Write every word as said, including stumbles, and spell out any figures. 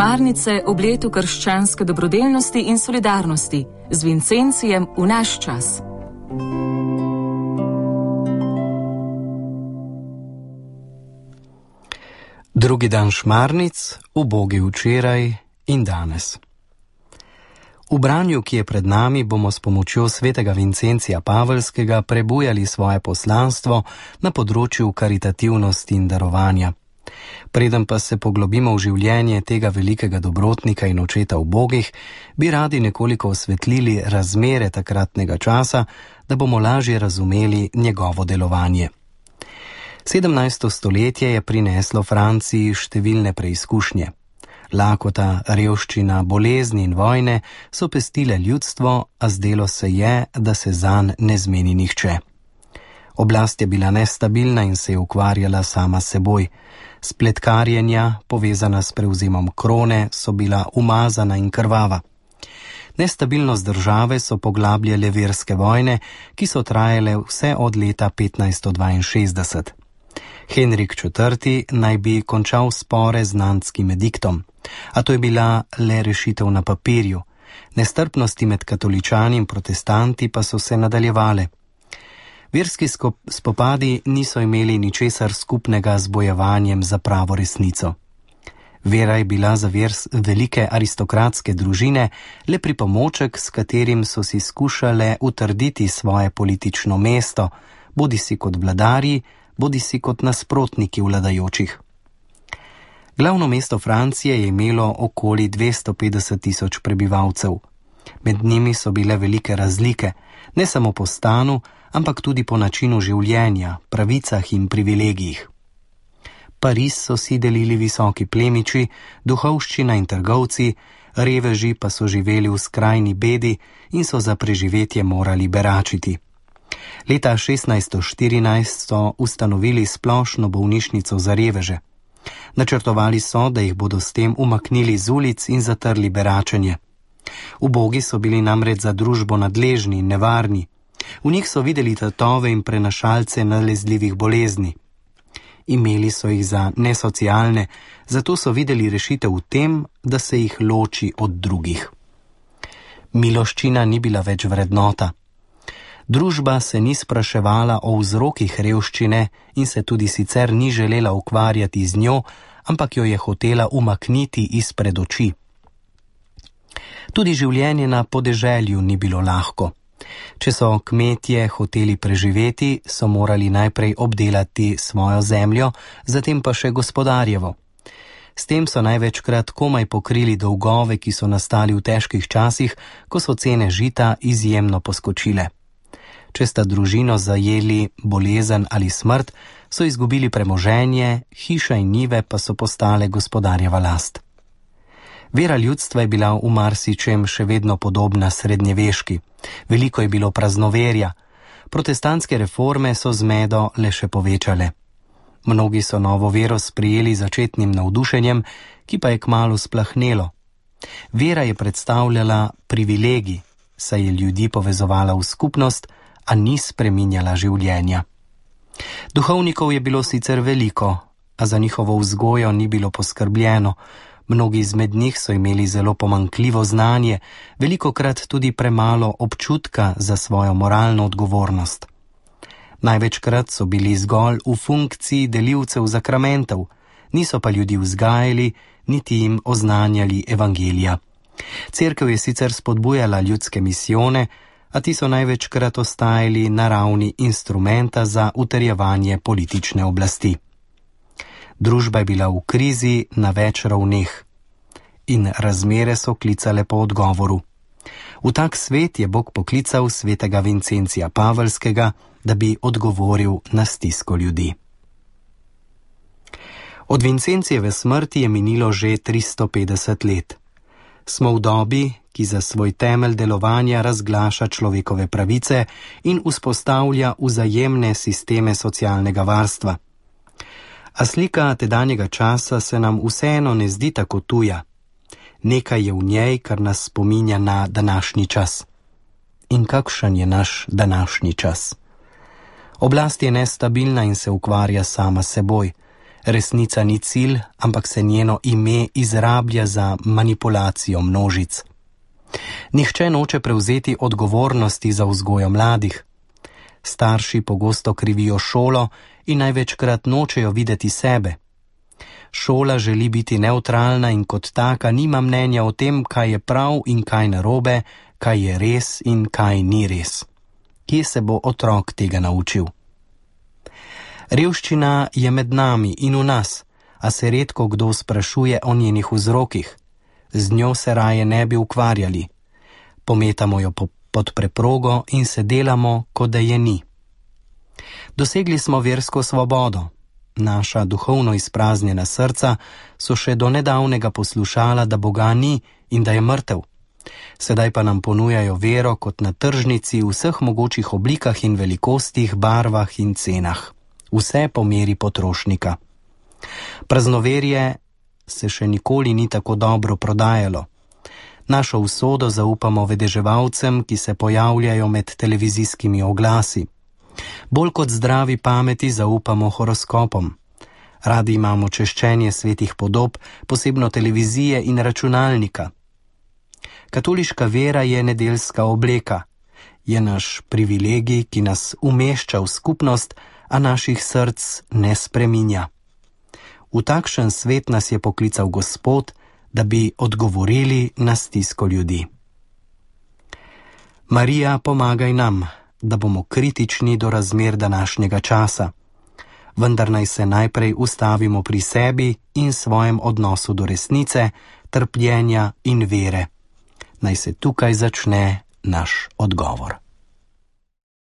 Šmarnice ob letu krščanske dobrodelnosti in solidarnosti z Vincencijem v naš čas. Drugi dan šmarnic, ubogi včeraj in danes. V branju, ki je pred nami, bomo s pomočjo svetega Vincencija Pavelskega prebujali svoje poslanstvo na področju karitativnosti in darovanja. Preden pa se poglobimo v življenje tega velikega dobrotnika in očeta ubogih, bi radi nekoliko osvetlili razmere takratnega časa, da bomo lažje razumeli njegovo delovanje. sedemnajsto stoletje je prineslo Franciji številne preizkušnje. Lakota, revščina, bolezni in vojne so pestile ljudstvo, a zdelo se je, da se zanj ne zmeni nihče. Oblast je bila nestabilna in se je ukvarjala sama s seboj. Spletkarjenja, povezana s prevzemom krone, so bila umazana in krvava. Nestabilnost države so poglabljale verske vojne, ki so trajale vse od leta petnajststo dvainšestdeset. Henrik četrti naj bi končal spore z Nantskim ediktom, a to je bila le rešitev na papirju. Nestrpnosti med katoličani in protestanti pa so se nadaljevale. Verski spopadi niso imeli ničesar skupnega z bojevanjem za pravo resnico. Vera je bila za vers velike aristokratske družine le pripomoček, s katerim so si skušale utrditi svoje politično mesto, bodisi kot vladarji, bodisi kot nasprotniki vladajočih. Glavno mesto Francije je imelo okoli dvesto petdeset tisoč prebivalcev. Med njimi so bile velike razlike, ne samo po stanu, ampak tudi po načinu življenja, pravicah in privilegijih. Pariz so si delili visoki plemiči, duhovščina in trgovci, reveži pa so živeli v skrajni bedi in so za preživetje morali beračiti. Leta šestnajststo štirinajst so ustanovili splošno bolnišnico za reveže. Načrtovali so, da jih bodo s tem umaknili z ulic in zatrli beračenje. Ubogi so bili namreč za družbo nadležni in nevarni. V njih so videli tatove in prenašalce nalezljivih bolezni. Imeli so jih za nesocialne, zato so videli rešitev v tem, da se jih loči od drugih. Miloščina ni bila več vrednota. Družba se ni spraševala o vzrokih revščine in se tudi sicer ni želela ukvarjati z njo, ampak jo je hotela umakniti izpred oči. Tudi življenje na podeželju ni bilo lahko. Če so kmetje hoteli preživeti, so morali najprej obdelati svojo zemljo, zatem pa še gospodarjevo. S tem so največkrat komaj pokrili dolgove, ki so nastali v težkih časih, ko so cene žita izjemno poskočile. Če sta družino zajeli bolezen ali smrt, so izgubili premoženje, hiša in njive pa so postale gospodarjeva last. Vera ljudstva je bila v marsičem še vedno podobna srednjeveški. Veliko je bilo praznoverja. Protestantske reforme so zmedo le še povečale. Mnogi so novo vero sprijeli začetnim navdušenjem, ki pa je kmalu splahnelo. Vera je predstavljala privilegij, saj je ljudi povezovala v skupnost, a ni spreminjala življenja. Duhovnikov je bilo sicer veliko, a za njihovo vzgojo ni bilo poskrbljeno. Mnogi izmed njih so imeli zelo pomanjkljivo znanje, velikokrat tudi premalo občutka za svojo moralno odgovornost. Največkrat so bili zgolj v funkciji delivcev zakramentov, niso pa ljudi vzgajali, niti jim oznanjali evangelija. Cerkev je sicer spodbujala ljudske misijone, a ti so največkrat ostajali na ravni instrumenta za utrjevanje politične oblasti. Družba je bila v krizi na več ravneh in razmere so klicale po odgovoru. V tak svet je Bog poklical svetega Vincencija Pavelskega, da bi odgovoril na stisko ljudi. Od Vincencijeve smrti je minilo že tristo petdeset let. Smo v dobi, ki za svoj temelj delovanja razglaša človekove pravice in vzpostavlja vzajemne sisteme socialnega varstva. A slika tedanjega časa se nam vseeno ne zdi tako tuja. Nekaj je v njej, kar nas spominja na današnji čas. In kakšen je naš današnji čas? Oblast je nestabilna in se ukvarja sama s seboj. Resnica ni cilj, ampak se njeno ime izrablja za manipulacijo množic. Nihče noče prevzeti odgovornosti za vzgojo mladih. Starši pogosto krivijo šolo in največkrat nočejo videti sebe. Šola želi biti nevtralna in kot taka nima mnenja o tem, kaj je prav in kaj narobe, kaj je res in kaj ni res. Kje se bo otrok tega naučil? Revščina je med nami in v nas, a se redko kdo sprašuje o njenih vzrokih. Z njo se raje ne bi ukvarjali. Pometamo jo po, pod preprogo in se delamo, kot da je ni. Dosegli smo versko svobodo. Naša duhovno izpraznjena srca so še do nedavnega poslušala, da Boga ni in da je mrtev. Sedaj pa nam ponujajo vero kot na tržnici v vseh mogočih oblikah in velikostih, barvah in cenah. Vse po meri potrošnika. Praznoverje se še nikoli ni tako dobro prodajalo. Našo usodo zaupamo vedeževalcem, ki se pojavljajo med televizijskimi oglasi. Bolj kot zdravi pameti zaupamo horoskopom. Radi imamo češčenje svetih podob, posebno televizije in računalnika. Katoliška vera je nedeljska obleka. Je naš privilegij, ki nas umešča v skupnost, a naših src ne spreminja. V takšen svet nas je poklical Gospod, da bi odgovorili na stisko ljudi. Marija, pomagaj nam, da bomo kritični do razmer današnjega časa. Vendar naj se najprej ustavimo pri sebi in svojem odnosu do resnice, trpljenja in vere. Naj se tukaj začne naš odgovor.